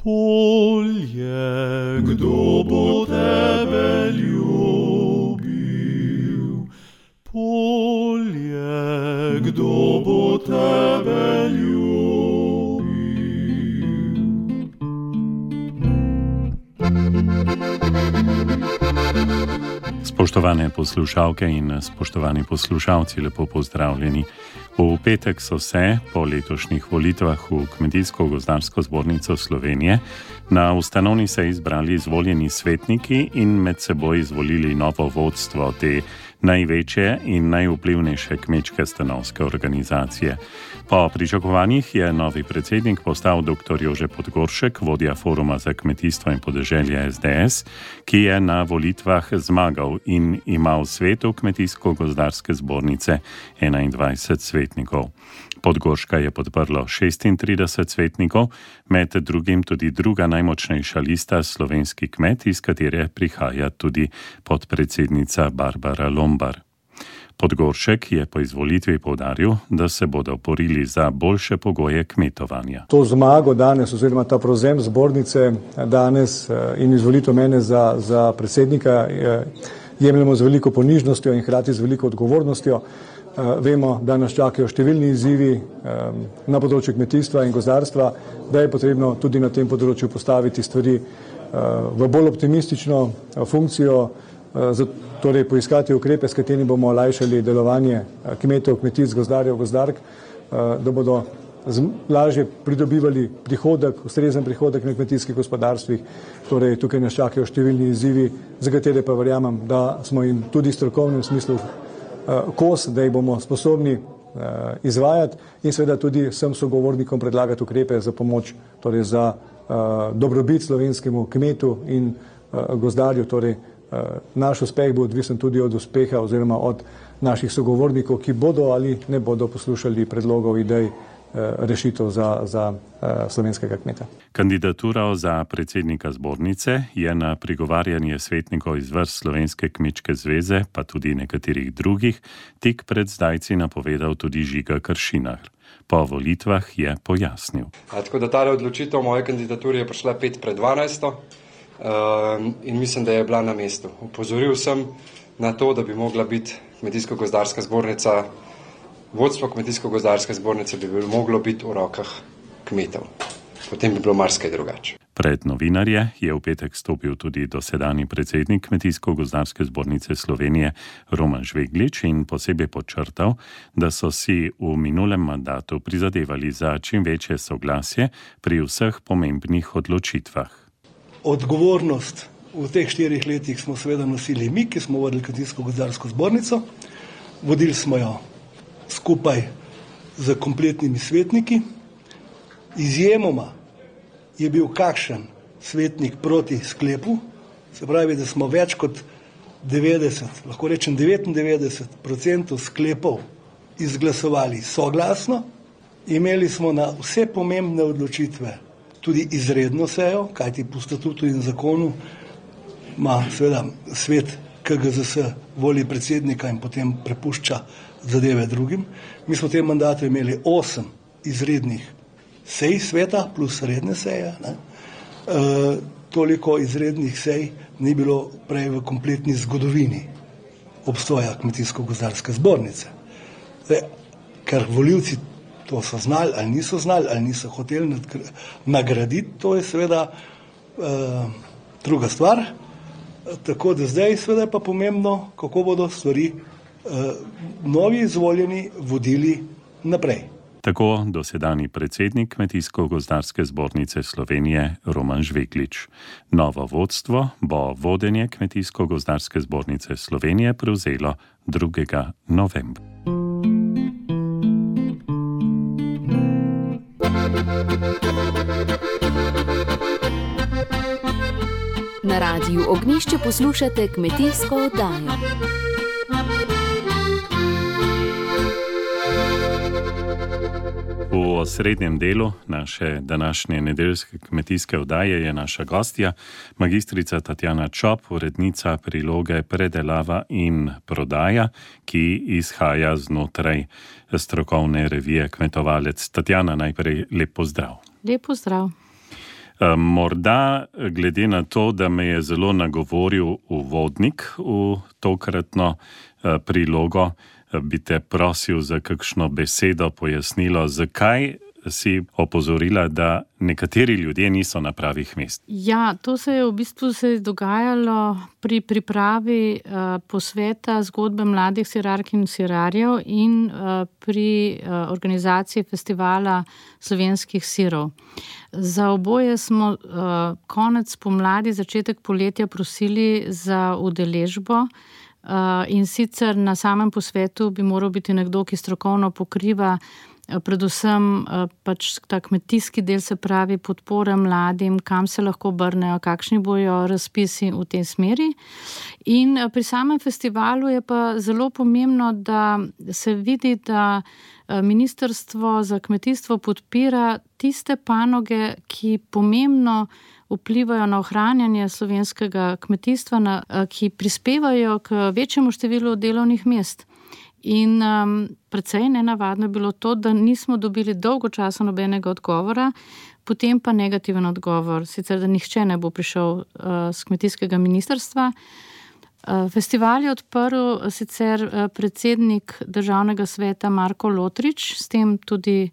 Polje, kdo bo tebe ljubil? Polje, kdo bo tebe ljubil? Spoštovane poslušalke in spoštovani poslušalci, lepo pozdravljeni. V petek so se po letošnjih volitvah v Kmetijsko-gozdarsko zbornico Slovenije na ustanovni seji izbrali izvoljeni svetniki in med seboj izvolili novo vodstvo te največje in najvplivnejše kmečke stanovske organizacije. Po pričakovanjih je novi predsednik postal dr. Jože Podgoršek, vodja Foruma za kmetijstvo in podeželje SDS, ki je na volitvah zmagal in ima v svetu Kmetijsko-gozdarske zbornice 21 svetnikov. Podgorška je podprlo 36 svetnikov, med drugim tudi druga najmočnejša lista Slovenski kmet, iz katere prihaja tudi podpredsednica Barbara Lombar. Podgoršek je po izvolitvi poudaril, da se bodo borili za boljše pogoje kmetovanja. To zmago danes oziroma ta prevzem zbornice danes in izvolitev mene za predsednika jemljemo z veliko ponižnostjo in hkrati z veliko odgovornostjo. Vemo, da nas čakajo številni izzivi na področju kmetijstva in gozdarstva, da je potrebno tudi na tem področju postaviti stvari v bolj optimistično funkcijo, torej poiskati ukrepe, s katerimi bomo olajšali delovanje kmetov, kmetic, gozdarjev, gozdark, da bodo lažje pridobivali prihodek, ustrezen prihodek na kmetijskih gospodarstvih. Torej, tukaj nas čakajo številni izzivi, za katere pa verjamem, da smo jim tudi v strokovnem smislu kos, da jih bomo sposobni izvajati in seveda tudi vsem sogovornikom predlagati ukrepe za pomoč, torej za dobrobit slovenskemu kmetu in gozdarju. Torej, naš uspeh bo odvisen tudi od uspeha oziroma od naših sogovornikov, ki bodo ali ne bodo poslušali predlogov, idej, rešitev za slovenskega kmeta. Kandidaturo za predsednika zbornice je na prigovarjanje svetnikov iz vrst Slovenske kmečke zveze, pa tudi nekaterih drugih, tik pred zdajci napovedal tudi Žiga Kršinar. Po volitvah je pojasnil. Tako da ta odločitev moje kandidature je prišla 5:12 in mislim, da je bila na mestu. Upozoril sem na to, da bi mogla biti Kmetijsko-gozdarska zbornica, vodstvo Kmetijsko-gozdarske zbornice bi moglo biti v rokah kmetov. Potem bi bilo marsikaj drugače. Pred novinarje je v petek stopil tudi dosedanji predsednik Kmetijsko-gozdarske zbornice Slovenije Roman Žveglič in posebej podčrtal, da so si v minulem mandatu prizadevali za čim večje soglasje pri vseh pomembnih odločitvah. Odgovornost v teh 4 letih smo seveda nosili mi, ki smo vodili Kmetijsko-gozdarsko zbornico. Vodili smo jo skupaj z kompletnimi svetniki. Izjemoma je bil kakšen svetnik proti sklepu, se pravi, da smo več kot 90, lahko rečem 99% sklepov izglasovali soglasno. Imeli smo na vse pomembne odločitve tudi izredno sejo, kajti po statutu in zakonu ima seveda svet KGZS voli predsednika in potem prepušča zadeve drugim. Mi smo v tem mandatu imeli 8 izrednih sej sveta plus redne seje. Toliko izrednih sej ni bilo prej v kompletni zgodovini obstoja Kmetijsko-gozdarske zbornice. Ker volivci to so znali ali niso hoteli nagraditi, to je seveda druga stvar. Tako da zdaj seveda pa pomembno, kako bodo stvari novi izvoljeni vodili naprej. Tako dosedanji predsednik Kmetijsko-gozdarske zbornice Slovenije Roman Žveglič. Novo vodstvo bo vodenje Kmetijsko-gozdarske zbornice Slovenije prevzelo 2. novembra. Na Radiu Ognjišče poslušate kmetijsko oddajo. V osrednjem delu naše današnje nedeljske kmetijske oddaje je naša gostja, magistrica Tatjana Čop, urednica priloge Predelava in prodaja, ki izhaja znotraj strokovne revije Kmetovalec. Tatjana, najprej lep pozdrav. Lep pozdrav. Morda, glede na to, da me je zelo nagovoril uvodnik v tokratno prilogo, bi te prosil za kakšno besedo, pojasnilo, zakaj si opozorila, da nekateri ljudje niso na pravih mest. Ja, to se je v bistvu dogajalo pri pripravi posveta zgodbe mladih sirark in sirarjev in pri organizaciji festivala slovenskih sirov. Za oboje smo konec pomladi, začetek poletja prosili za udeležbo in sicer na samem posvetu bi moral biti nekdo, ki strokovno pokriva predvsem pač ta kmetijski del, se pravi podpora mladim, kam se lahko obrnejo, kakšni bojo razpisi v tej smeri. In pri samem festivalu je pa zelo pomembno, da se vidi, da Ministrstvo za kmetijstvo podpira tiste panoge, ki pomembno vplivajo na ohranjanje slovenskega kmetijstva, ki prispevajo k večjemu številu delovnih mest. In precej nenavadno je bilo to, da nismo dobili dolgo časa nobenega odgovora, potem pa negativen odgovor, sicer da nihče ne bo prišel z kmetijskega ministrstva. Festival je odprl sicer predsednik Državnega sveta Marko Lotrič, s tem tudi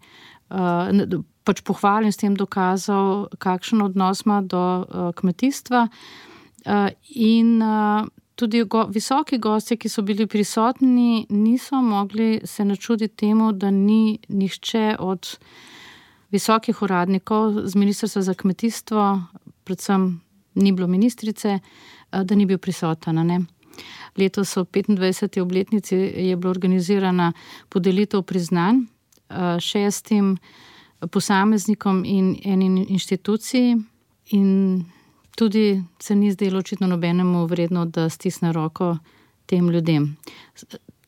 pač pohvalil, s tem dokazal, kakšen odnos ima do kmetijstva in tudi visoki gostje, ki so bili prisotni, niso mogli se načuditi temu, da ni nihče od visokih uradnikov z Ministrstva za kmetijstvo, predvsem ni bilo ministrice, da ni bil prisoten. Ne? Letos v 25. obletnici je bila organizirana podelitev priznanj 6 posameznikom in eni inštituciji in tudi se ni zdelo očitno nobenemu vredno, da stisne roko tem ljudem.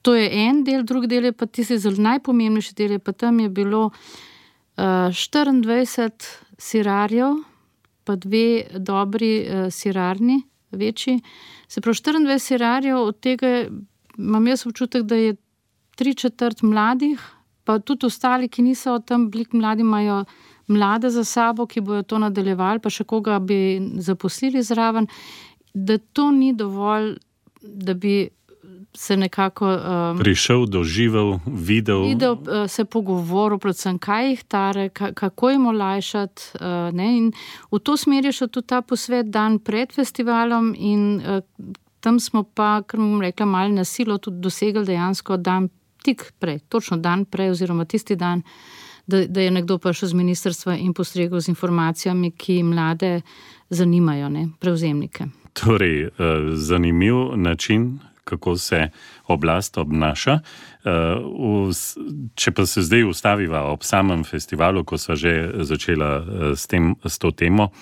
To je en del, drugi del je pa tisti zelo najpomembnejši del, pa tam je bilo 24 sirarjev, pa 2 dobri sirarni, večji. Se pravi 24 sirarjev, od tega imam jaz občutek, da je 3/4 mladih, pa tudi ostali, ki niso tam bili mladi, imajo mlade za sabo, ki bojo to nadaljevali, pa še koga bi zaposlili zraven, da to ni dovolj, da bi se nekako prišel, doživel, videl, se pogovoril, predvsem kaj jih tare, kako jim olajšati. In v to smer je šel tudi ta posvet dan pred festivalom in tam smo pa, kar bom rekla, malo na silo tudi dosegli dejansko dan tik prej, točno dan prej oziroma tisti dan, da je nekdo prišel z ministrstva in postregel z informacijami, ki mlade zanimajo, prevzemnike. Torej, zanimiv način, kako se oblast obnaša. Če pa se zdaj ustaviva ob samem festivalu, ko sva že začela s to temo,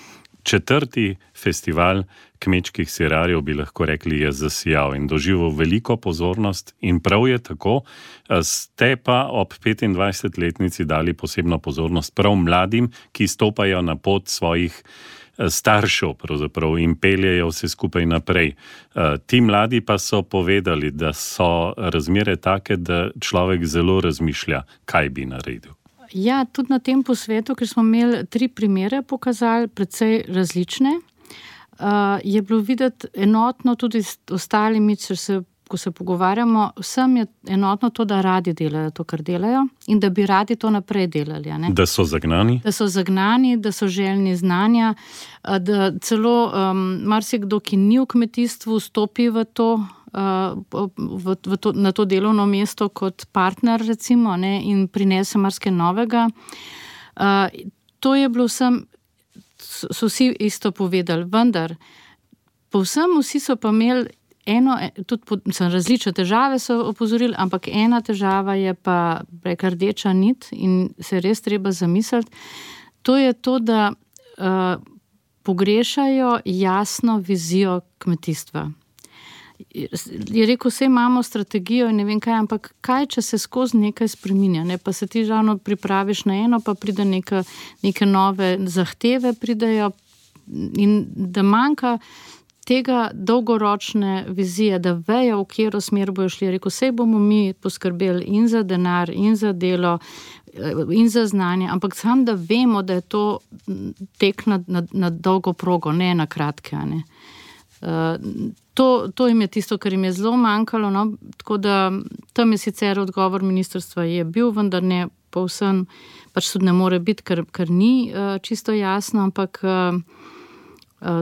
4. festival kmečkih sirarjev, bi lahko rekli, je zasijal in doživel veliko pozornost in prav je tako. Ste pa ob 25-letnici dali posebno pozornost prav mladim, ki stopajo na pot svojih staršev pravzaprav in peljejo vse skupaj naprej. Ti mladi pa so povedali, da so razmere take, da človek zelo razmišlja, kaj bi naredil. Ja, tudi na tem posvetu, ker smo imeli 3 primere pokazali, precej različne, je bilo videti enotno tudi s ostalimi, ko se pogovarjamo, vsem je enotno to, da radi delajo to, kar delajo in da bi radi to naprej delali. Da so zagnani? Da so zagnani, da so željni znanja, da celo marsikdo, ki ni v kmetijstvu, stopi v to, na to delovno mesto kot partner, recimo, in prinese marsikaj novega. To je bilo vsem, so vsi isto povedali, vendar povsem vsi so pa imeli tudi različne težave so opozorili, ampak ena težava je pa rdeča nit in se res treba zamisliti. To je to, da pogrešajo jasno vizijo kmetijstva. Je rekel, vse imamo strategijo in ne vem kaj, ampak kaj, če se skozi nekaj spreminja, pa se ti ravno pripraviš na eno, pa pride neke nove zahteve pridejo in da manjka tega dolgoročne vizije, da vejo, v katero smer bojo šli. Rekel, sej bomo mi poskrbeli in za denar, in za delo, in za znanje, ampak sam, da vemo, da je to tek na dolgo progo, ne na kratke. Ne. To jim je tisto, kar jim je zelo manjkalo, no? Tako da tam je sicer odgovor ministrstva je bil, vendar ne povsem, pač tudi ne more biti, ker ni čisto jasno, ampak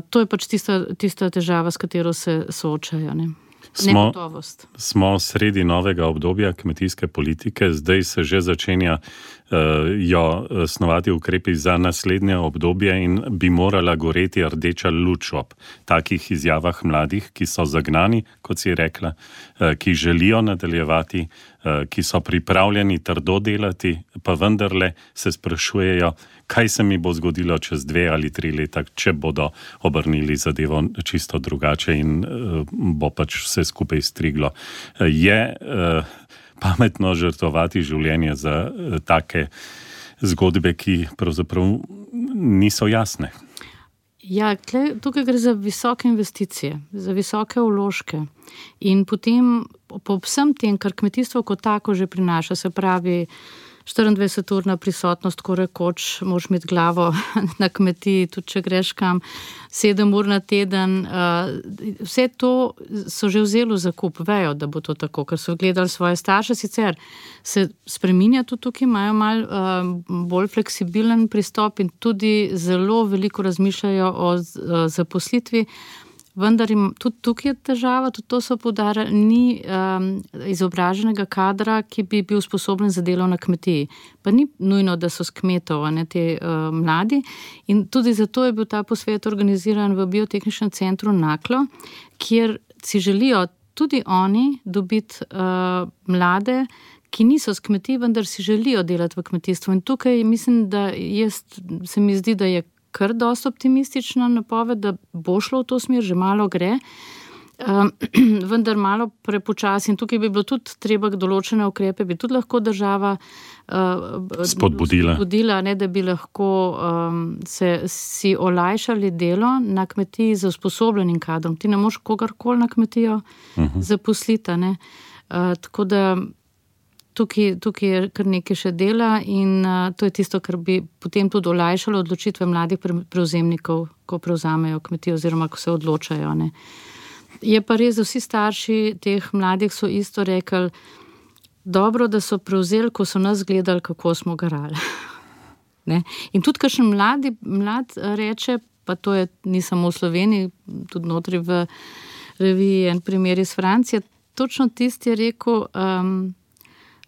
to je pač tista težava, s katero se soočajo. Ne? Smo sredi novega obdobja kmetijske politike, zdaj se že začenja snovati ukrepi za naslednje obdobje in bi morala goreti rdeča luč ob takih izjavah mladih, ki so zagnani, kot si rekla, ki želijo nadaljevati, ki so pripravljeni trdo delati, pa vendarle se sprašujejo, kaj se mi bo zgodilo čez 2 ali 3 leta, če bodo obrnili zadevo čisto drugače in bo pač vse skupaj striglo. Je pametno žrtvovati življenje za take zgodbe, ki pravzaprav niso jasne? Ja, tukaj gre za visoke investicije, za visoke vložke. In potem po vsem tem, kar kmetijstvo kot tako že prinaša, se pravi 24-urna prisotnost, ko rekoč, moraš imeti glavo na kmetiji, tudi če greš kam, 7 ur na teden. Vse to so že vzeli v zakup, vejo, da bo to tako, ker so gledali svoje starše, sicer se spreminja tudi tukaj, imajo malo bolj fleksibilen pristop in tudi zelo veliko razmišljajo o zaposlitvi. Vendar tudi tukaj je težava, tudi to so poudarjali, ni izobraženega kadra, ki bi bil sposoben za delo na kmetiji. Pa ni nujno, da so s kmetov, ne, te mladi. In tudi zato je bil ta posvet organiziran v Biotehničnem centru Naklo, kjer si želijo tudi oni dobiti mlade, ki niso s kmetij, vendar si želijo delati v kmetijstvu. In tukaj mislim, da se mi zdi, da je kar dosti optimistična napoved, da bo šlo v to smer, že malo gre, vendar malo prepočasi. In tukaj bi bilo tudi treba določene ukrepe, bi tudi lahko država spodbudila, ne, da bi lahko si olajšali delo na kmetiji z usposobljenim kadrom. Ti ne moš kogarkoli na kmetijo zaposliti. Tako da Tukaj je kar nekaj še dela in to je tisto, kar bi potem tudi olajšalo odločitve mladih prevzemnikov, ko prevzamejo kmetijo oziroma ko se odločajo. Ne. Je pa res, da vsi starši teh mladih so isto rekli, dobro, da so prevzeli, ko so nas gledali, kako smo garali. Ne. In tudi kakšen mlad reče, pa to ni samo v Sloveniji, tudi notri v reviji en primer iz Francije, točno tisti je rekel,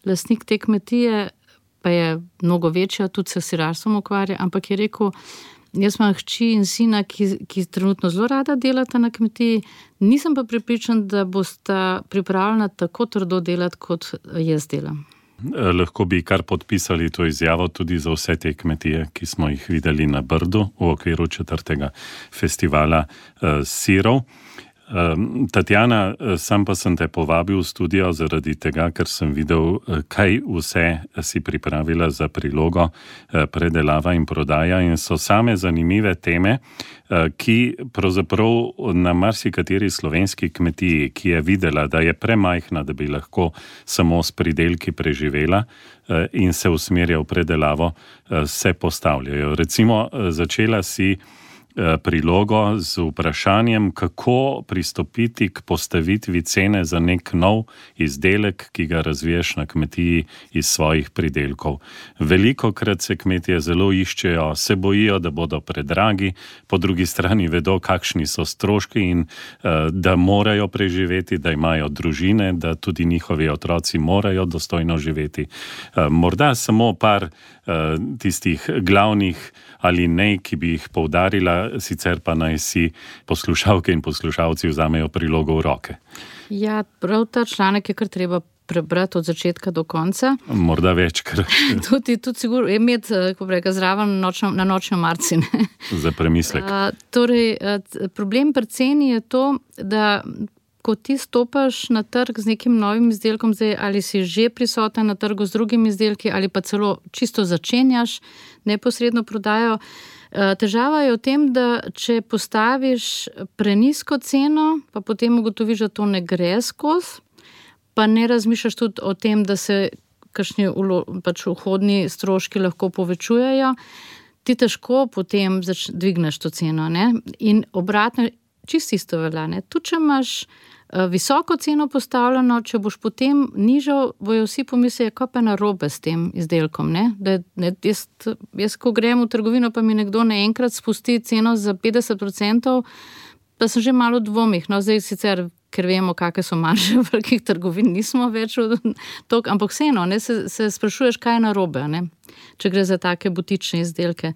lastnik te kmetije, pa je mnogo večja, tudi se sirarstvom ukvarja, ampak je rekel, jaz imam hči in sina, ki trenutno zelo rada delata na kmetiji, nisem pa prepričan, da bosta pripravljena tako trdo delati, kot jaz delam. Lahko bi kar podpisali to izjavo tudi za vse te kmetije, ki smo jih videli na Brdu v okviru 4. festivala sirov. Tatjana, sam pa sem te povabil v studio zaradi tega, ker sem videl, kaj vse si pripravila za prilogo predelava in prodaja in so same zanimive teme, ki pravzaprav na marsikateri slovenski kmetiji, ki je videla, da je premajhna, da bi lahko samo s pridelki preživela in se usmerja v predelavo, se postavljajo. Recimo, začela si prilogo z vprašanjem, kako pristopiti k postavitvi cene za nek nov izdelek, ki ga razviješ na kmetiji iz svojih pridelkov. Velikokrat se kmetije zelo iščejo, se bojijo, da bodo predragi, po drugi strani vedo, kakšni so stroški in da morajo preživeti, da imajo družine, da tudi njihovi otroci morajo dostojno živeti. Morda samo par tistih glavnih ali ne, ki bi jih poudarila, sicer pa naj si poslušalke in poslušalci vzamejo prilogo v roke. Ja, prav ta članek je kar treba prebrati od začetka do konca. Morda večkrat. Tudi sigurno imeti, kako reka, zraven na nočno marci. Za premislek. Torej, problem pri ceni je to, da ko ti stopaš na trg z nekim novim izdelkom, zdaj ali si že prisoten na trgu z drugimi izdelki ali pa celo čisto začenjaš neposredno prodajo, Težava je v tem, da če postaviš prenizko ceno, pa potem ugotoviš, da to ne gre skozi, pa ne razmišljaš tudi o tem, da se kakšni vhodni stroški lahko povečujejo, ti težko potem dvigneš to ceno. Ne? In obratno, čisto isto velja. Tudi če imaš visoko ceno postavljeno, če boš potem nižal, bojo vsi pomislijo, kaj pa je narobe s tem izdelkom. Jaz, ko grem v trgovino, pa mi nekdo naenkrat spusti ceno za 50%, pa sem že malo v dvomih. No, zdaj sicer, ker vemo, kakve so marže v velikih trgovin, nismo več toliko, ampak vseeno, se sprašuješ, kaj je narobe, če gre za take butične izdelke.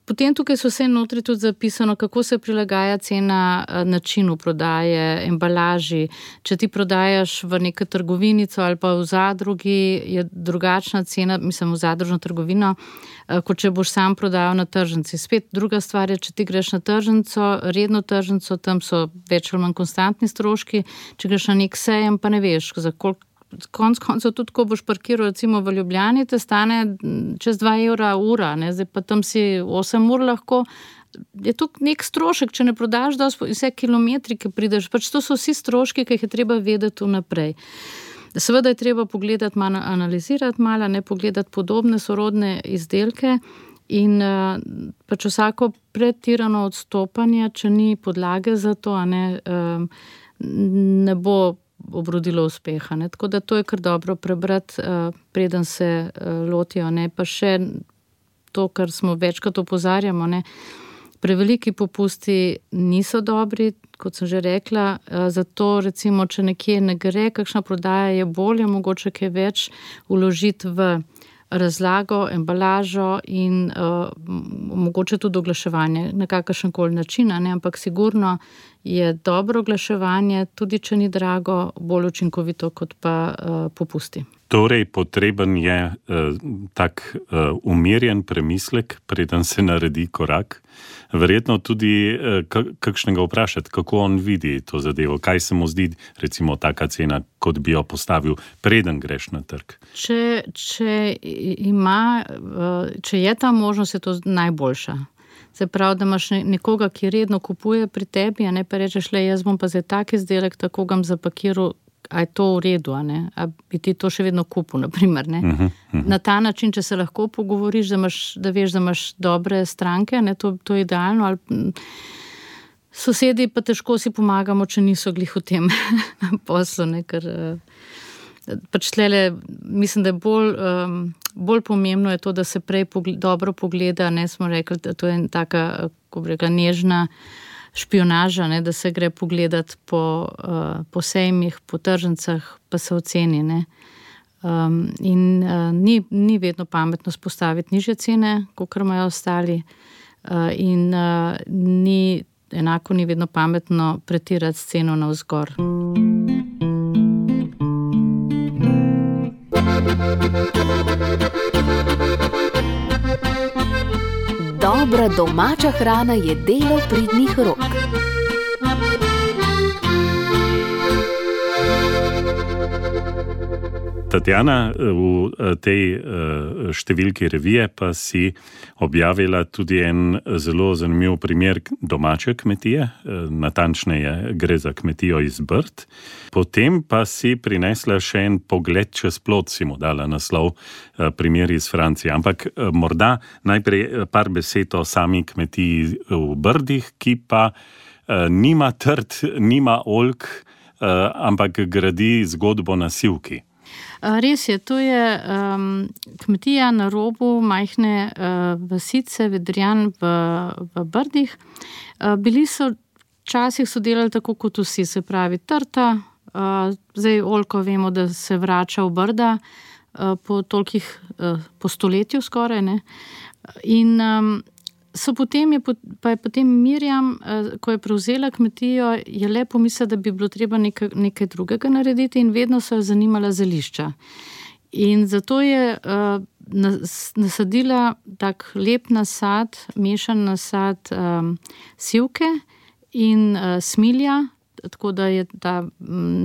Potem tukaj so vse notri tudi zapisano, kako se prilagaja cena načinu prodaje, embalaži. Če ti prodajaš v neko trgovinico ali pa v zadrugi, je drugačna cena, mislim v zadružno trgovino, kot če boš sam prodajal na tržnici. Spet druga stvar je, če ti greš na tržnico, redno tržnico, tam so več ali manj konstantni stroški, če greš na nek sejem, pa ne veš, za koliko. Konc koncev tudi, ko boš parkiral recimo v Ljubljani, te stane čez 2 evra ura, zdaj pa tam si 8 ur lahko, je to nek strošek, če ne prodaš vse kilometri, ki prideš, pač to so vsi stroški, ki jih je treba vedeti vnaprej. Seveda je treba pogledati malo, analizirati malo, pogledati podobne sorodne izdelke in pač vsako pretirano odstopanje, če ni podlage za to, ne bo obrodilo uspeha. Tako da to je kar dobro prebrati, preden se lotijo. Pa še to, kar smo večkrat opozarjamo, preveliki popusti niso dobri, kot sem že rekla, zato recimo, če nekje ne gre, kakšna prodaja je bolje, mogoče kaj več vložiti v razlago, embalažo in mogoče tudi oglaševanje na kakršen koli način, ampak sigurno je dobro oglaševanje, tudi če ni drago, bolj učinkovito kot pa popusti. Torej, potreben je tak umirjen premislek, preden se naredi korak. Verjetno tudi kakšnega vprašati, kako on vidi to zadevo, kaj se mu zdi recimo taka cena, kot bi jo postavil, preden greš na trg. Če je ta možnost, je to najboljša. Se pravi, da imaš nekoga, ki redno kupuje pri tebi, pa rečeš, jaz bom pa zdaj tak izdelek, tako ga zapakiral, a je to v redu, a bi ti to še vedno kupil, naprimer. Na ta način, če se lahko pogovoriš, da veš, da imaš dobre stranke, to je idealno, ali sosedi pa težko si pomagamo, če niso glih v tem poslu, ker pač tlele, mislim, da je bolj pomembno je to, da se prej dobro pogleda, smo rekli, da to je taka, ko bi rekla, nežna špionaža, da se gre pogledati po sejmih, po tržnicah, pa se oceni. In ni vedno pametno spostaviti nižje cene, kakor imajo ostali, in enako ni vedno pametno pretirati s ceno navzgor. Dobra domača hrana je delo pridnih rok. Tatjana, v tej številki revije pa si objavila tudi en zelo zanimiv primer domače kmetije, natančneje gre za kmetijo iz Brd. Potem pa si prinesla še en pogled čez plot, si mu dala naslov, primer iz Francije. Ampak morda najprej par besed o sami kmetiji v Brdih, ki pa nima trt, nima oljk, ampak gradi zgodbo na sivki. Res je, to je kmetija na robu majhne vasice Vedrjan v Brdih. Včasih so delali tako kot vsi, se pravi trta, zdaj oljko vemo, da se vrača v Brda po stoletju skoraj, in pa je potem Mirjam, ko je prevzela kmetijo, je le pomislila, da bi bilo treba nekaj drugega narediti in vedno so jo zanimala zelišča. In zato je nasadila tak lep nasad, mešan nasad sivke in smilja, tako da je ta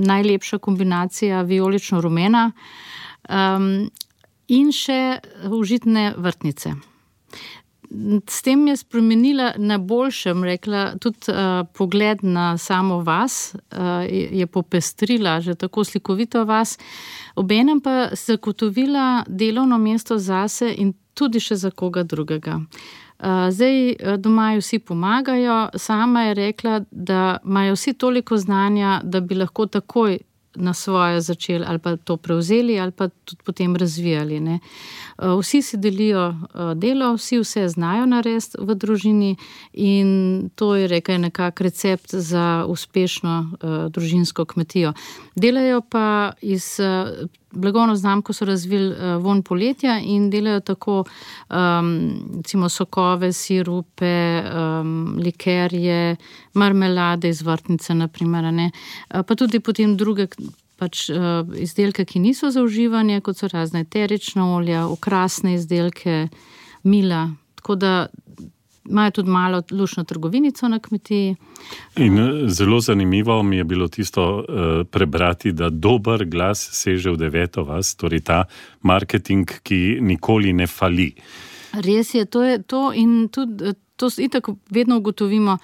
najlepša kombinacija vijolično-rumena, in še užitne vrtnice. s tem je spremenila na boljšem, rekla, tudi pogled na samo vas, je popestrila že tako slikovito vas, obenem pa zagotovila delovno mesto zase in tudi še za koga drugega. Zdaj doma vsi pomagajo, sama je rekla, da imajo vsi toliko znanja, da bi lahko takoj na svoje začeli ali pa to prevzeli ali pa tudi potem razvijali. Ne. Vsi si delijo delo, vsi vse znajo narediti v družini in to je nekak recept za uspešno družinsko kmetijo. Delajo pa iz blagovno znamko so razvili Vonj poletja in delajo tako recimo sokove, sirupe, likerje, marmelade iz vrtnice naprimer, ne. Pa tudi potem druge izdelke, ki niso za uživanje, kot so razne eterična olja, okrasne izdelke, mila, tako da imajo tudi malo luštno trgovinico na kmetiji. In zelo zanimivo mi je bilo tisto prebrati, da dober glas seže v 9. vas, torej ta marketing, ki nikoli ne fali. Res je, to je to in tudi to itak vedno ugotovimo.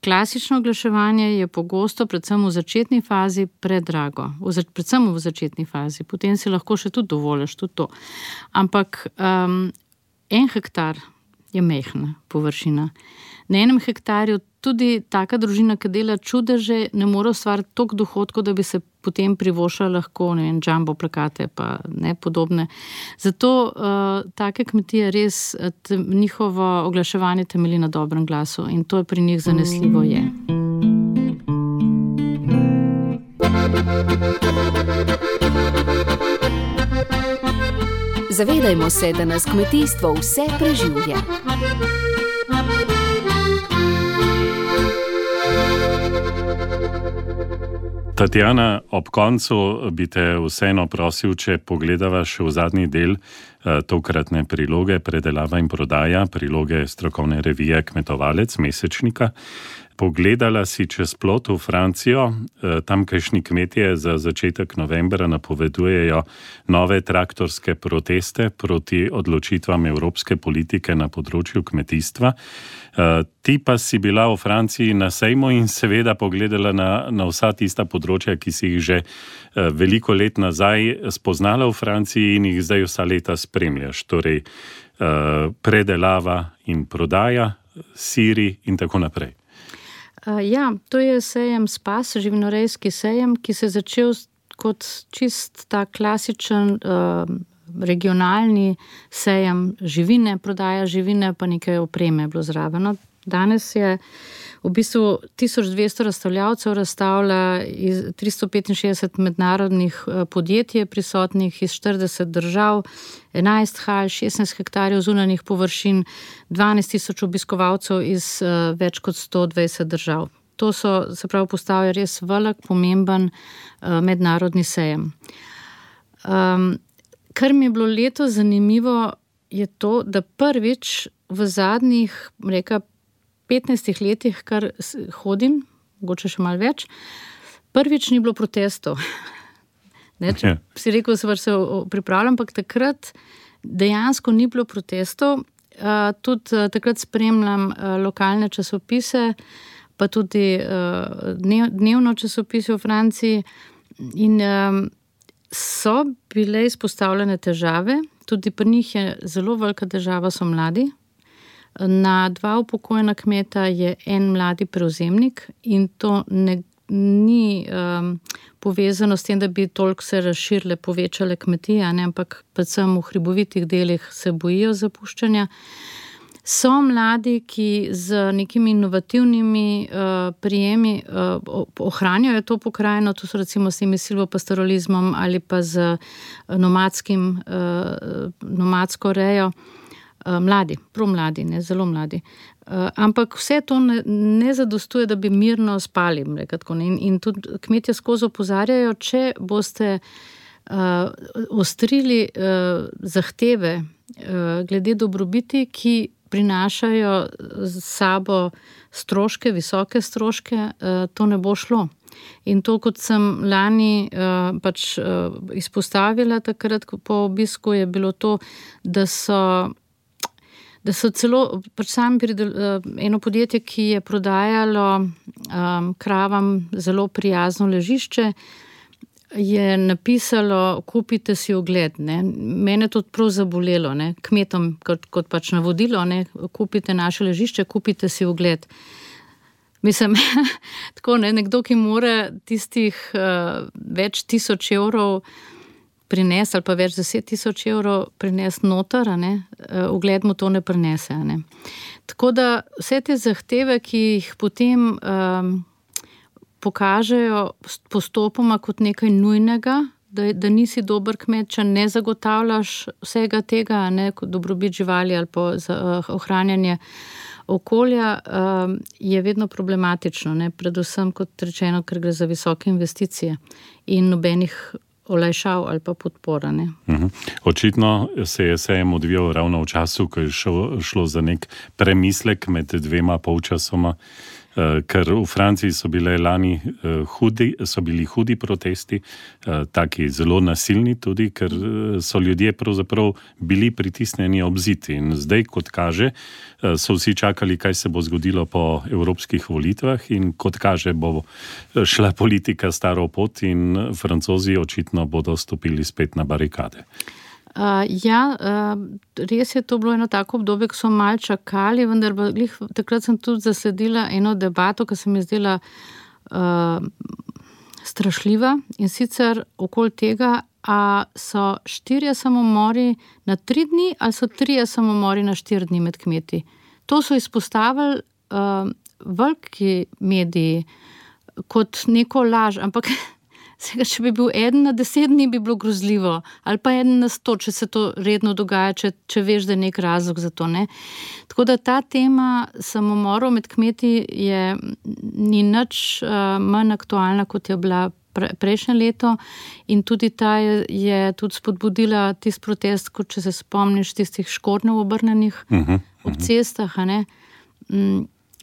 Klasično oglaševanje je pogosto, predvsem v začetni fazi, predrago. Predvsem v začetni fazi. Potem si lahko še tudi dovoliš tudi to. Ampak 1 hektar je majhna površina. Na 1 hektarju tudi taka družina, ki dela čudeže, ne more ustvariti toliko dohodkov, da bi se potem privoščila lahko, jumbo plakate pa podobne. Zato take kmetije res njihovo oglaševanje temelji na dobrem glasu in to je pri njih zanesljivo je. Zavedajmo se, da nas kmetijstvo vse preživlja. Tatjana, ob koncu bi te vseeno prosil, če pogledava še v zadnji del tokratne priloge Predelava in prodaja, priloge strokovne revije Kmetovalec, mesečnika. Pogledala si čez plot v Francijo, tamkajšnji kmetje za začetek novembra napovedujejo nove traktorske proteste proti odločitvam evropske politike na področju kmetijstva. Ti pa si bila v Franciji na sejmu in seveda pogledala na vsa tista področja, ki si jih že veliko let nazaj spoznala v Franciji in jih zdaj vsa leta spremljaš. Torej predelava in prodaja, siri in tako naprej. Ja, to je sejem Spas, živinorejski sejem, ki se je začel kot čist ta klasičen regionalni sejem živine, prodaja živine, pa nekaj opreme je bilo zraven. Danes je v bistvu 1200 razstavljavcev razstavlja iz 365 mednarodnih podjetij prisotnih iz 40 držav, 11 hal, 16 hektarjev zunanjih površin, 12,000 obiskovalcev iz več kot 120 držav. To se pravi postavlja res velik, pomemben mednarodni sejem. Kar mi je bilo letos zanimivo, je to, da prvič v zadnjih, 15 letih, kar hodim, mogoče še malo več, prvič ni bilo protestov. Si rekel, da se pripravljam, ampak takrat dejansko ni bilo protestov. Tudi takrat spremljam lokalne časopise, pa tudi dnevno časopise v Franciji in so bile izpostavljene težave, tudi pri njih je zelo velika težava, so mladi. Na 2 upokojena kmeta je 1 mladi prevzemnik in to ni povezano s tem, da bi toliko se razširile, povečale kmetije, ampak predvsem v hribovitih delih se bojijo zapuščanja. So mladi, ki z nekimi inovativnimi prijemi ohranjajo to pokrajino, to so recimo s temi silvopastoralizmom ali pa z nomadsko rejo. Mladi, promladi, zelo mladi. Ampak vse to ne zadostuje, da bi mirno spali. In tudi kmetje skozi opozarjajo, če boste ostrili zahteve glede dobrobiti, ki prinašajo z sabo stroške, visoke stroške, to ne bo šlo. In to, kot sem lani izpostavila takrat po obisku, je bilo to, da so celo eno podjetje, ki je prodajalo kravam zelo prijazno ležišče, je napisalo, kupite si ogled. Ne. Mene to prav zabolelo, ne. Kmetom kot pač navodilo, ne. Kupite naše ležišče, kupite si ogled. Mislim, tako, ne, nekdo, ki mora tistih več 1000 evrov prinesti ali pa več 10 000 evrov prinesti noter, ugled mu to ne prinese. Ne. Tako da vse te zahteve, ki jih potem pokažejo postopoma kot nekaj nujnega, da nisi dober kmet, če ne zagotavljaš vsega tega, ne, kot dobrobit živali ali pa ohranjanje okolja, je vedno problematično, ne, predvsem kot rečeno, ker gre za visoke investicije in nobenih olajšav ali pa podpora. Ne. Očitno se je sejem odvijal ravno v času, ko je šlo za nek premislek med 2 polčasoma, ker v Franciji so bili hudi protesti, taki zelo nasilni tudi, ker so ljudje pravzaprav bili pritisnjeni ob zid. In zdaj, kot kaže, so vsi čakali, kaj se bo zgodilo po evropskih volitvah in kot kaže, bo šla politika staro pot in Francozi očitno bodo stopili spet na barikade. Res je to bilo eno tako obdobje, ko so malo čakali, vendar takrat sem tudi zasledila eno debato, ki se mi zdela strašljiva, in sicer okoli tega, a so 4 samomori na 3 dni ali so 3 samomori na 4 dni med kmeti. To so izpostavili veliki mediji kot neko laž, ampak če bi bil 1 na 10 dni, bi bilo grozljivo, ali pa 1 na 100, če se to redno dogaja, če veš, da je nek razlog za to. Ne? Tako da ta tema samomorov med kmeti ni nič manj aktualna, kot je bila prejšnje leto, in tudi ta je tudi spodbudila tisti protest, kot če se spomniš tistih škornjev obrnenih ob cestah.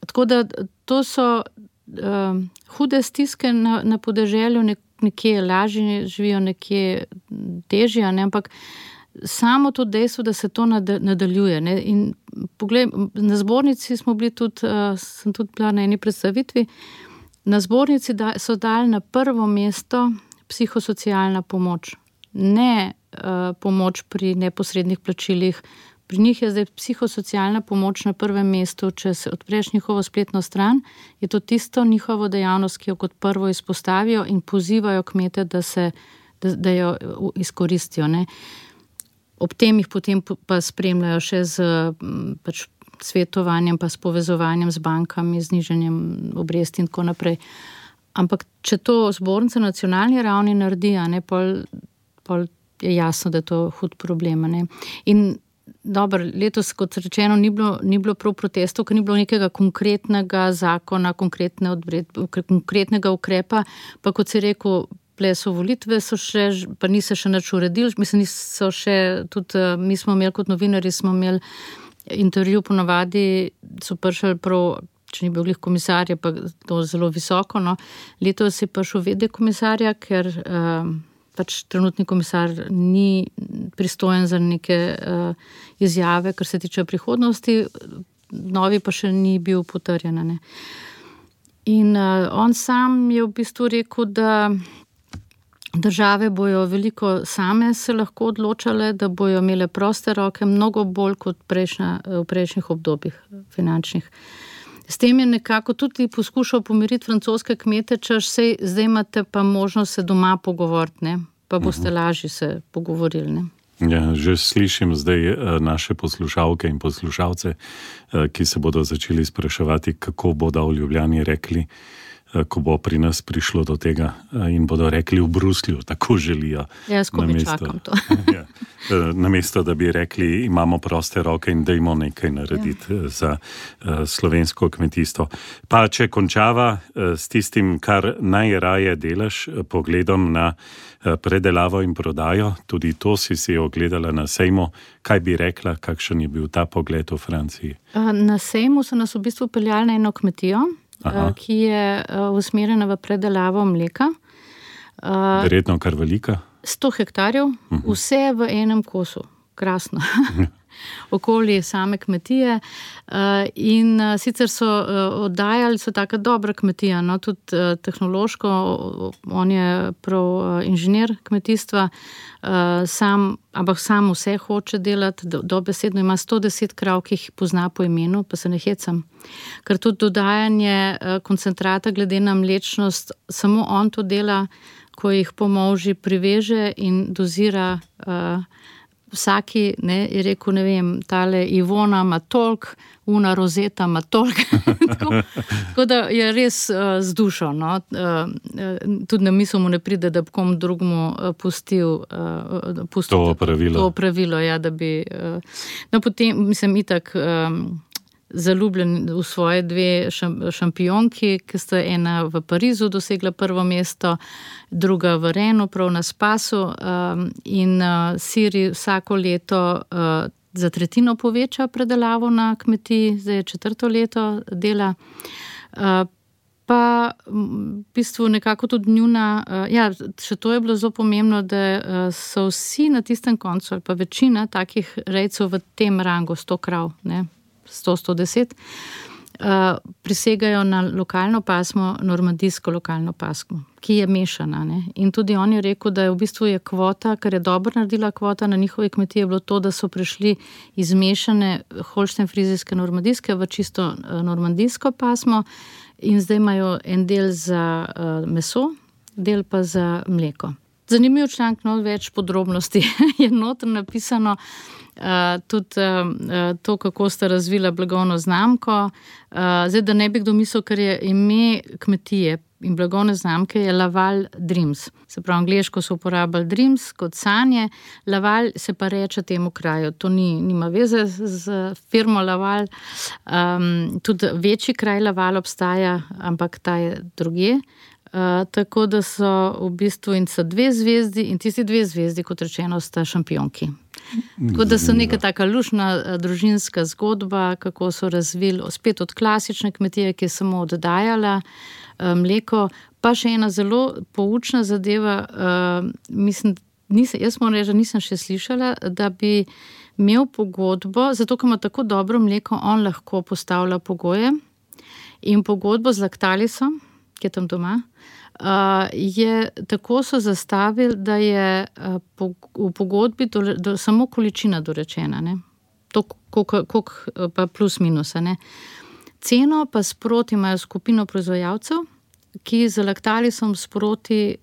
Tako da to so hude stiske na podeželju, nekje lažje živijo, nekje težje, ampak samo to dejstvo, da se to nadaljuje. Ne? In poglej, na zbornici smo bili tudi, sem tudi bila na eni predstavitvi, na zbornici so dali na prvo mesto psihosocialna pomoč, ne pomoč pri neposrednih plačilih. Pri njih je zdaj psihosocialna pomoč na prvem mestu. Če se odpreš njihovo spletno stran, je to tisto njihovo dejavnost, ki jo kot prvo izpostavijo in pozivajo kmete, da jo izkoristijo. Ne. Ob tem jih potem pa spremljajo še z pač svetovanjem, pa s povezovanjem z bankami, z nižanjem obresti in tako naprej. Ampak če to zbornica na nacionalni ravni naredi, pol je jasno, da je to hud problem. Ne. In dobro, letos, kot rečeno, ni bilo prav protestov, ker ni bilo nekega konkretnega zakona, konkretnega ukrepa, pa kot si rekel, so volitve, pa niso še nič uredili, mislim, niso še, tudi mi smo imeli kot novinarji, smo imeli intervju, ponavadi so prišli prav, če ni bil glih komisarja, pa to zelo visoko, no. Letos je prišel v.d. komisarja, ker pač trenutni komisar ni pristojen za neke izjave, kar se tiče prihodnosti, novi pa še ni bil potrjen. Ne. In on sam je v bistvu rekel, da države bojo veliko same se lahko odločale, da bojo imele proste roke, mnogo bolj kot v prejšnjih obdobjih finančnih. S tem je nekako tudi poskušal pomiriti francoske kmete, češ zdaj imate pa možnost se doma pogovoriti, ne? Pa boste lažje se pogovorili. Ne? Ja, že slišim zdaj naše poslušalke in poslušalce, ki se bodo začeli spraševati, kako bodo v Ljubljani rekli, ko bo pri nas prišlo do tega, in bodo rekli v Bruslju, tako želijo. Ja, skupaj čakam to. Namesto, da bi rekli, imamo proste roke in dajmo nekaj narediti za slovensko kmetijstvo. Pa če končava s tistim, kar najraje delaš, pogledom na predelavo in prodajo, tudi to si ogledala na sejmu. Kaj bi rekla, kakšen je bil ta pogled v Franciji? Na sejmu so nas v bistvu peljali na eno kmetijo, ki je usmerjena v predelavo mleka. Verjetno kar velika? 100 hektarjev, vse v enem kosu. Krasno. okoli same kmetije. In sicer so oddajali, so taka dobra kmetija, no, tudi tehnološko, on je prav inženir kmetijstva, ampak sam vse hoče delati, dobesedno ima 110 krav, ki jih pozna po imenu, pa se ne hecam. Ker tudi dodajanje koncentrata glede na mlečnost, samo on to dela, ko jih po molži priveže in dozira vsaki, ne, je rekel, ne vem, tale Ivona ima toliko, una Rozeta ima toliko. Tako da je res z dušo, no. Tudi na misel mu ne pride, da bi komu drugemu pustil to pravilo, ja, da bi... No, potem, mislim, itak zaljubljen v svoje dve šampionki, ki sta ena v Parizu dosegla prvo mesto, druga v Renu, prav na Spasu, in Siri vsako leto za tretjino poveča predelavo na kmetiji, zdaj je 4. leto dela. Pa v bistvu nekako tudi njuna, še to je bilo zelo pomembno, da so vsi na tistem koncu, ali pa večina takih rejcev v tem rangu 100 krav, ne, 100-110, prisegajo na lokalno pasmo, normandijsko lokalno pasmo, ki je mešana. Ne? In tudi on je rekel, da je v bistvu je kvota, kar je dobro naredila kvota na njihovi kmetiji, je bilo to, da so prišli iz mešane holštenfrizijske normandijske v čisto normandijsko pasmo in zdaj imajo en del za meso, del pa za mleko. Zanimiv članek, no, več podrobnosti je noter napisano, tudi to, kako sta razvila blagovno znamko. Zdaj, da ne bi kdo mislil, ker je ime kmetije in blagovne znamke je Laval Dreams. Se pravi, angleško so uporabljali Dreams kot sanje, Laval se pa reče temu kraju. To nima veze z firmo Laval. Tudi večji kraj Laval obstaja, ampak ta je drugje. Tako da so v bistvu in so 2 zvezdi in tisti 2 zvezdi, kot rečeno, sta šampionki. Tako da so neka taka lušna družinska zgodba, kako so razvili spet od klasične kmetije, ki je samo oddajala mleko, pa še ena zelo poučna zadeva, mislim, jaz moram reči, da nisem še slišala, da bi imel pogodbo, zato ker ima tako dobro mleko, on lahko postavlja pogoje in pogodbo z Lactalisom, ki je tam doma, tako so zastavili, da je v pogodbi samo količina dorečena, ne? To, koliko pa plus minusa, ne? Ceno pa sproti imajo skupino proizvajalcev, ki z Lactalisom sproti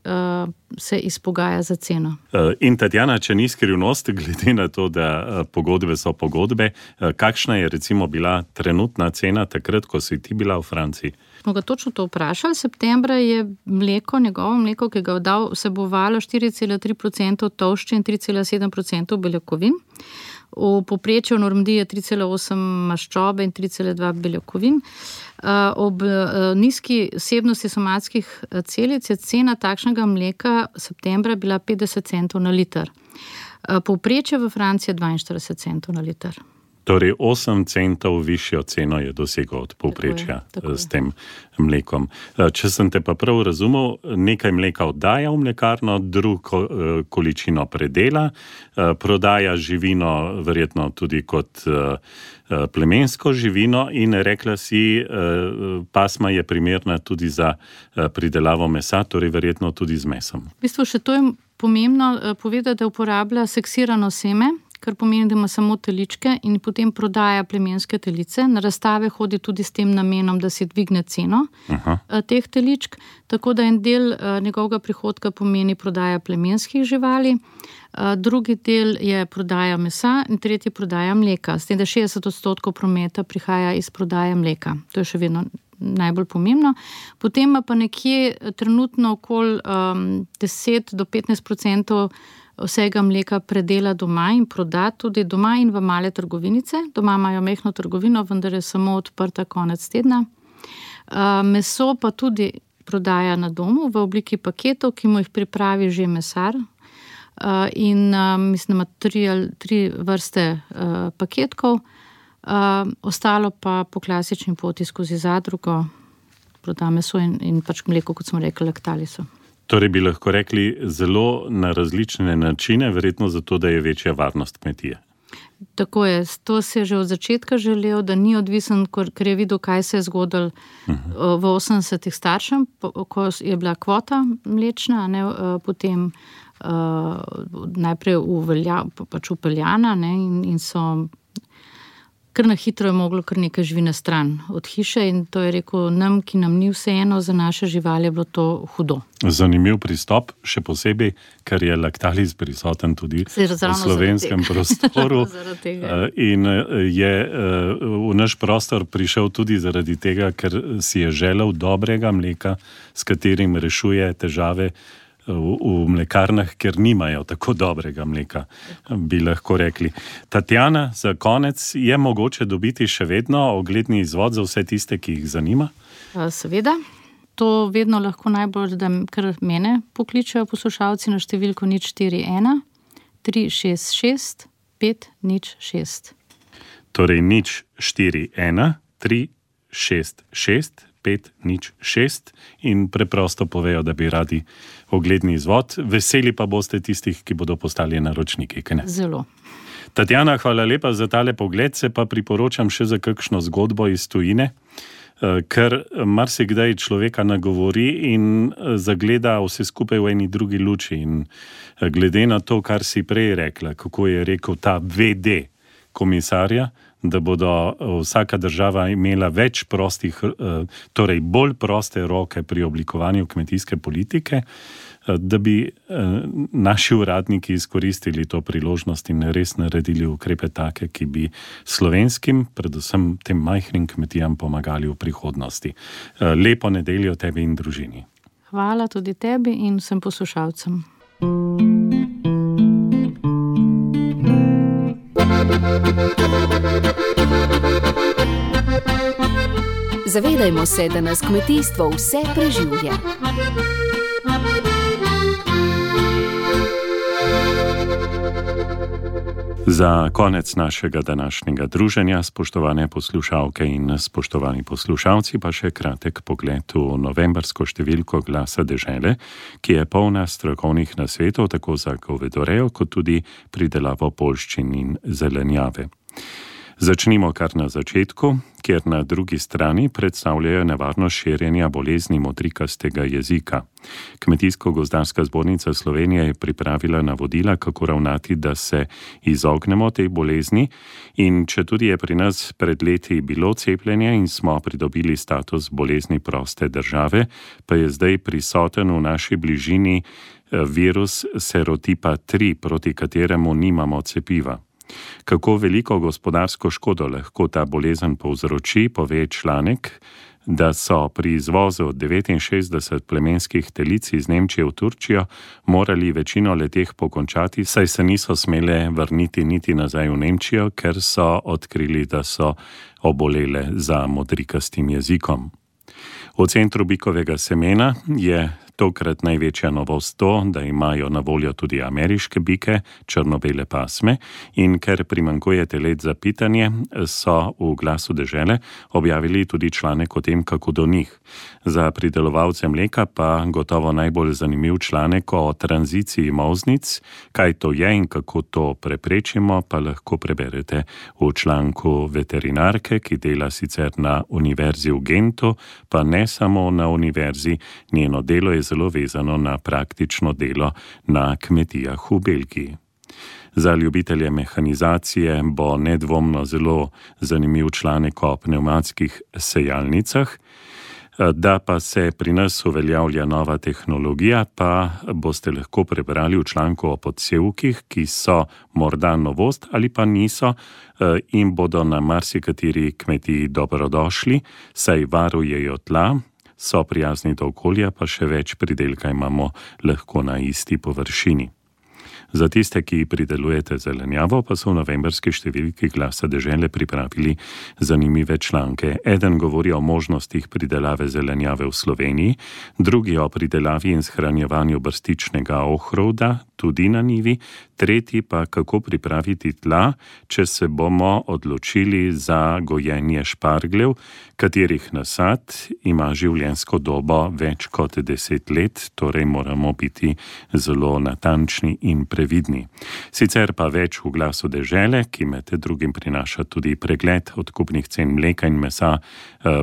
se izpogaja za ceno. In Tatjana, če ni skrivnost, glede na to, da pogodbe so pogodbe, kakšna je recimo bila trenutna cena takrat, ko si ti bila v Franciji? Smo ga točno to vprašali. Septembra je njegovo mleko, ki ga je dal, vsebovalo 4,3% tolšče in 3,7% beljakovin. V povprečju v Normandiji je 3,8 maščobe in 3,2 beljakovin. Ob nizki vsebnosti somatskih celic je cena takšnega mleka septembra bila 50 centov na liter. Povprečje v Franciji je 42 centov na liter. Torej 8 centov višjo ceno je dosegel od povprečja s tem mlekom. Če sem te pa prav razumel, nekaj mleka oddaja v mlekarno, drugo količino predela, prodaja živino verjetno tudi kot plemensko živino in rekla si, pasma je primerna tudi za pridelavo mesa, torej verjetno tudi z mesom. V bistvu še to je pomembno povedati, da uporablja seksirano seme, kar pomeni, da ima samo teličke in potem prodaja plemenske telice. Na razstave hodi tudi s tem namenom, da si dvigne ceno teh teličk, tako da en del njegovega prihodka pomeni prodaja plemenskih živali, drugi del je prodaja mesa in tretji prodaja mleka. S tem, da 60% prometa prihaja iz prodaje mleka. To je še vedno najbolj pomembno. Potem pa nekje trenutno okoli 10 do 15% vsega mleka predela doma in proda tudi doma in v male trgovinice. Doma imajo mehno trgovino, vendar je samo odprta konec tedna. Meso pa tudi prodaja na domu v obliki paketov, ki mu jih pripravi že mesar. In mislim, ima 3 vrste paketkov. Ostalo pa po klasični poti skozi zadrugo proda meso in pač mleko, kot smo rekli, Lactaliso. Torej bi lahko rekli zelo na različne načine, verjetno zato, da je večja varnost kmetije. Tako je, to se je že od začetka želel, da ni odvisen, ker je videl, kaj se je zgodilo v 80-ih staršem, ko je bila kvota mlečna, ne, potem najprej upeljana, ne, in so kar na hitro je moglo kar nekaj živine stran od hiše in to je rekel nam, ki nam ni vseeno, za naše živali je bilo to hudo. Zanimiv pristop, še posebej, ker je Lactalis prisoten tudi v slovenskem prostoru in je v naš prostor prišel tudi zaradi tega, ker si je želel dobrega mleka, s katerim rešuje težave v mlekarnah, ker nimajo tako dobrega mleka, bi lahko rekli. Tatjana, za konec, je mogoče dobiti še vedno ogledni izvod za vse tiste, ki jih zanima? Seveda. To vedno lahko najbolj, da kar mene pokličajo poslušalci na številko 041 366 506. Torej 041 366 506 in preprosto povejo, da bi radi ogledni izvod. Veseli pa boste tistih, ki bodo postali naročniki, kaj ne? Zelo. Tatjana, hvala lepa za tale pogled, se pa priporočam še za kakšno zgodbo iz tujine, ker marsikdaj človeka nagovori in zagleda vse skupaj v eni drugi luči. In glede na to, kar si prej rekla, kako je rekel ta VD komisarja, da bodo vsaka država imela več torej bolj proste roke pri oblikovanju kmetijske politike, da bi naši uradniki izkoristili to priložnost in res naredili ukrepe take, ki bi slovenskim, predvsem tem majhnim kmetijam pomagali v prihodnosti. Lepo nedeljo tebi in družini. Hvala tudi tebi in vsem poslušalcem. Zavedajmo se, da nas kmetijstvo vse preživlja. Za konec našega današnjega druženja, spoštovane poslušalke in spoštovani poslušalci, pa še kratek pogled v novembrsko številko Glasa dežele, ki je polna strokovnih nasvetov tako za govedorejo, kot tudi pridelavo poljščin in zelenjave. Začnimo kar na začetku, kjer na drugi strani predstavljajo nevarnost širjenja bolezni modrikastega jezika. Kmetijsko-gozdarska zbornica Slovenije je pripravila navodila, kako ravnati, da se izognemo tej bolezni, in četudi je pri nas pred leti bilo cepljenje in smo pridobili status bolezni proste države, pa je zdaj prisoten v naši bližini virus serotipa 3, proti kateremu nimamo cepiva. Kako veliko gospodarsko škodo lahko ta bolezen povzroči, pove članek, da so pri izvozu 69 plemenskih telic iz Nemčije v Turčijo morali večino leteh pokončati, saj se niso smele vrniti niti nazaj v Nemčijo, ker so odkrili, da so obolele za modrikastim jezikom. V centru bikovega semena je tokrat največja novost to, da imajo na voljo tudi ameriške bike, črno-bele pasme, in ker primanjkuje telet za pitanje, so v Glasu dežele objavili tudi članek o tem, kako do njih. Za pridelovalce mleka pa gotovo najbolj zanimiv članek o tranziciji molznic, kaj to je in kako to preprečimo, pa lahko preberete v članku veterinarke, ki dela sicer na univerzi v Gentu, pa ne samo na univerzi, njeno delo je zelo vezano na praktično delo na kmetijah v Belgiji. Za ljubitelje mehanizacije bo nedvomno zelo zanimiv članek o pnevmatskih sejalnicah. Da pa se pri nas uveljavlja nova tehnologija, pa boste lahko prebrali v članku o podsevkih, ki so morda novost ali pa niso in bodo na marsikateri kmetiji dobrodošli, saj varujejo tla, so prijazni do okolja, pa še več pridelka imamo lahko na isti površini. Za tiste, ki pridelujete zelenjavo, pa so v novembrski številki Glasa dežele pripravili zanimive članke. Eden govori o možnostih pridelave zelenjave v Sloveniji, drugi o pridelavi in shranjevanju brstičnega ohrovda, tudi na njivi, tretji pa kako pripraviti tla, če se bomo odločili za gojenje špargljev, katerih nasad ima življenjsko dobo več kot 10 let, torej moramo biti zelo natančni in previdni previdni. Sicer pa več v Glasu dežele, ki med drugim prinaša tudi pregled odkupnih cen mleka in mesa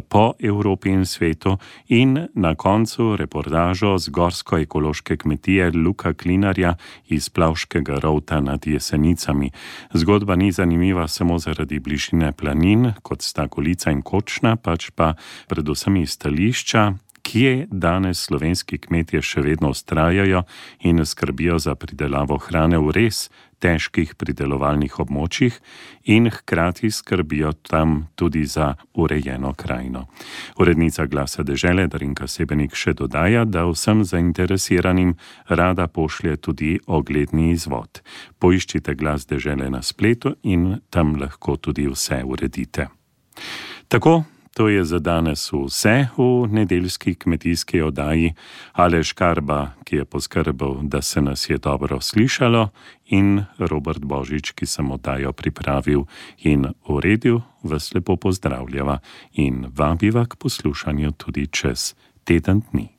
po Evropi in svetu, in na koncu reportažo z gorsko-ekološke kmetije Luka Klinarja iz Plavškega Rovta nad Jesenicami. Zgodba ni zanimiva samo zaradi bližine planin, kot sta Golica in Kočna, pač pa predvsem iz stališča, kje danes slovenski kmetje še vedno vztrajajo in skrbijo za pridelavo hrane v res težkih pridelovalnih območjih in hkrati skrbijo tam tudi za urejeno krajino. Urednica Glasa dežele Darinka Sebenik še dodaja, da vsem zainteresiranim rada pošlje tudi ogledni izvod. Poiščite Glas dežele na spletu in tam lahko tudi vse uredite. Tako, to je za danes vse v nedeljski kmetijski oddaji. Aleš Karba, ki je poskrbel, da se nas je dobro slišalo, in Robert Božič, ki sem oddajo pripravil in uredil, vas lepo pozdravljava in vabiva k poslušanju tudi čez teden dni.